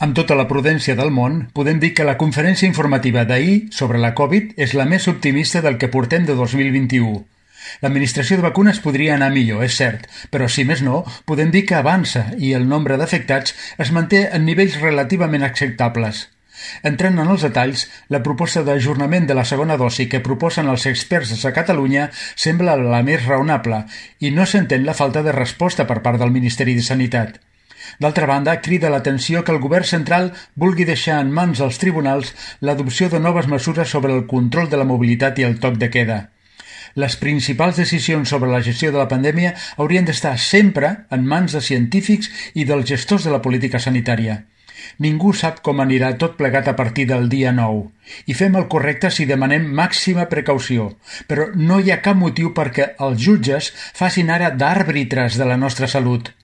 Amb tota la prudència del món, podem dir que la conferència informativa d'ahir sobre la Covid és la més optimista del que portem de 2021. L'administració de vacunes podria anar millor, és cert, però si més no, podem dir que avança i el nombre d'afectats es manté en nivells relativament acceptables. Entrant en els detalls, la proposta d'ajornament de la segona dosi que proposen els experts a Catalunya sembla la més raonable i no s'entén la falta de resposta per part del Ministeri de Sanitat. D'altra banda, crida l'atenció que el govern central vulgui deixar en mans dels tribunals l'adopció de noves mesures sobre el control de la mobilitat i el toc de queda. Les principals decisions sobre la gestió de la pandèmia haurien d'estar sempre en mans de científics i dels gestors de la política sanitària. Ningú sap com anirà tot plegat a partir del dia 9 i fem el correcte si demanem màxima precaució, però no hi ha cap motiu perquè els jutges facin ara d'àrbitres de la nostra salut.